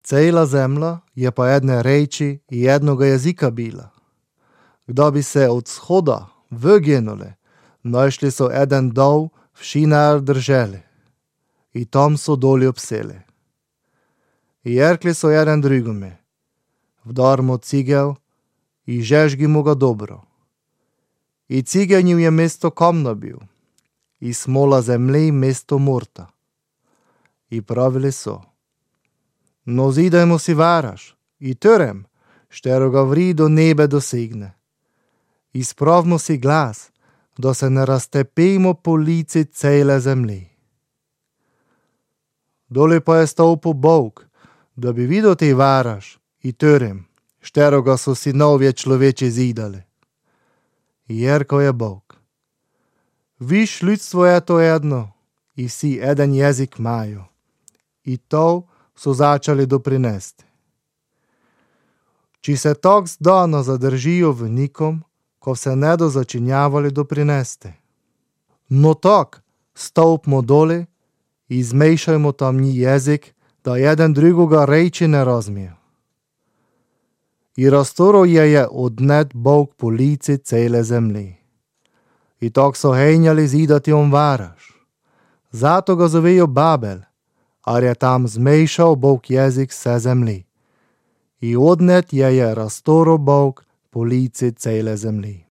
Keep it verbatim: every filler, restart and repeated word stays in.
Cela zemlja je po jedne reči i jednoga jezika bila. Kdo bi se od shoda vyginuli, našli so eden dol v Šinar drželi i tam so doli obseli. I rekli so jeden drugome, vdar mu cigel i žežgi mu ga dobro. I cigenju je mesto kamna bil, i smola zemlji mesto morta. I pravili so, no zidajmo si varaž, i törem, štero ga vri do nebe dosegne. I spravimo si glas, da se ne raztepimo po lici cele zemlji. Doli pa je stopil Bog, da bi videl te varaž, i törem, štero ga so sinovje človeči zidali. I rekel je Bog, viš ljudstvo je to jedno, i vsi eden jezik imajo. I to so začali doprinesti. Či se tak zdano zadržijo v nikom, ko se ne do začinjavali doprinesti. No tak, stopimo doli i zmešajmo tam ni jezik, da jeden drugoga reči ne razumije. I raztoro je je odnet Bog po lici cele zemlji. I tak so henjali zidati on varaž. Zato ga zovejo Babel, ar je tam zmešal Bog jezik se zemlji. I odnet je je raztoro Bog po lici cele zemlji.